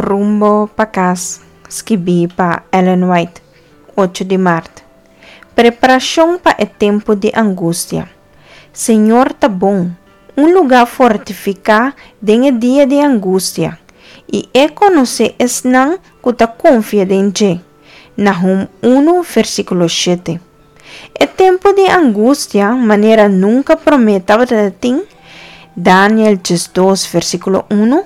Rumbo pa kas, skibí pa Ellen White, ocho di mart. Preparashon pa e tempu di angustia. Señor ta bon, un lugá fortifiká den e dia di angustia, i E konosé esnan ku ta konfia den dje. Nahum unu, versíkulo shete. E tempu di angustia manera nunka promé tabata tin, Daniel diesdos, versíkulo unu,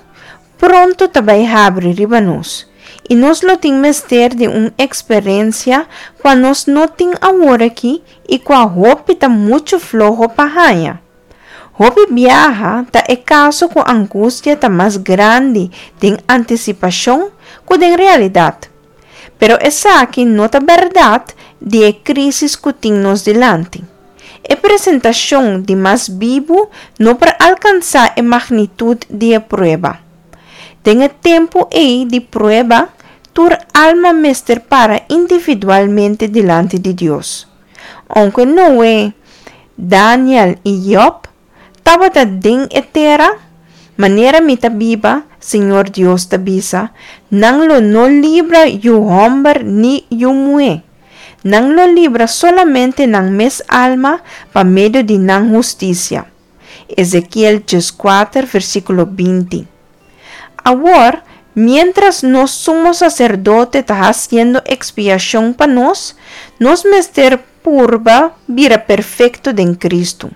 pronto ta bai habri riba nos, i nos lo tin mester di un eksperensia kua nos no tin aworakí i kua hopi ta muchu floho pa haña. Hopi biaha ta e kaso ku angustia ta mas grandi den antisipashon ku den realidat. Pero esaki no ta bèrdat di e krísis ku tin nos dilanti. E presentashon di mas bibu no por alkansá e magnitut di e prueba. Den e tempu ei di prueba, tur alma mester para individualmente dilanti di Dios. Ounke Noe, Daniel i Job tabata den e tera, manera mi ta biba, Señor Dios ta bisa, nan lo no libra yu hòmber ni yu muhé. Nan lo libra solamente nan mes alma pa medio di nan hustisia. Ezekiel dieskuater, versíkulo binti. Awor, miéntras nos Sumo Saserdote ta hasiendo ekspiashon pa nos, nos mester purba bira perfekto den Kristu.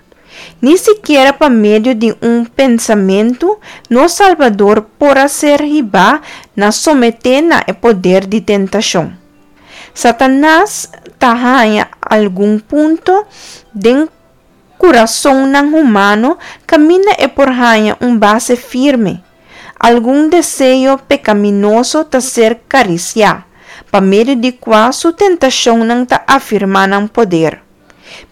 Ni sikiera pa medio di un pensamentu nos Salbador por a ser hibá na someté na e poder di tentashon. Satanas ta haña algun punto den kurasonnan humano kaminda e por haña un base firme. Algun deseo pekaminoso ta ser karisiá, pa medio di kua su tentashonnan ta afirmá nan poder.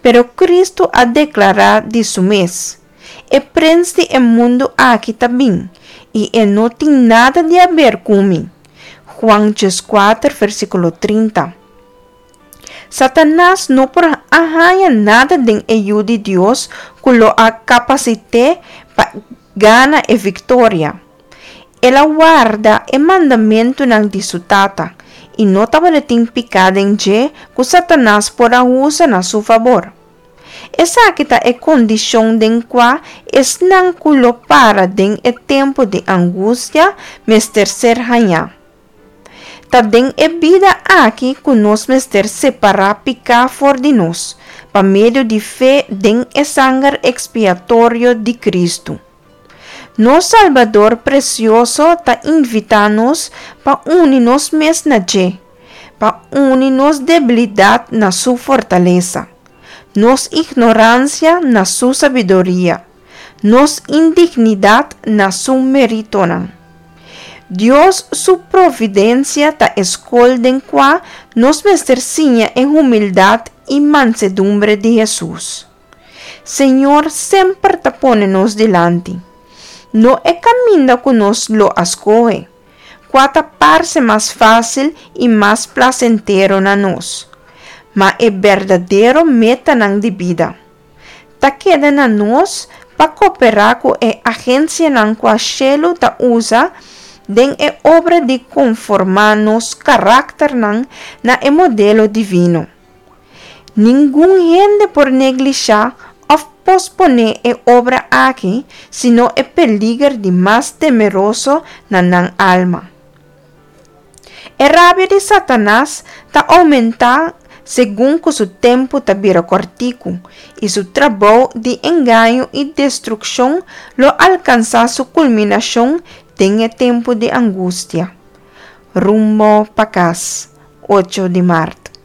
Pero Kristu a deklará di su mes, E prens di e mundu aki ta bin, i e no tin nada di haber ku mi. Juan dieskuater, versíkulo trinta. Satanas no por a haña nada den e Yu di Dios ku lo a kapasit'é pa gana e viktoria. El a warda e mandamentunan di su Tata, i no tabatin piká den dje ku Satanas por a usa na su fabor. Esaki ta e kondishon den kua esnan ku lo para den e tempu di angustia mester ser hañá. Ta den e bida aki ku nos mester separá piká for di nos, pa medio di fe den e sanger ekspiatorio di Kristu. Nos Salbador presioso ta invitá nos pa uni nos mes na dje, pa uni nos debilidat na Su fortalesa, nos ignoransia na Su sabiduria, nos indignidat na Su meritonan. Dios su providensia ta e skol den kua nos mester siña e humildat i mansedumbre di Hesus. Señor semper ta pone nos dilanti. No e kaminda ku nos lo a skohe, kua ta parse mas fásil i mas plasentero na nos, ma e berdadero metanan di bida. Ta keda na nos pa koperá ku e agensianan kua shelu ta usa den e obra di konformá nos karakternan na e modelo divino. Ningun hende por neglishá òf posponé e obra aki sino e peliger di mas temeroso na nan alma. E rabia di Satanas ta oumentá segun ku su tempu ta bira kòrtiku i su trabou di engaño i destrukshon lo alkansá su kulminashon den e tempu di angustia. Rumbo pa kas, ocho di mart.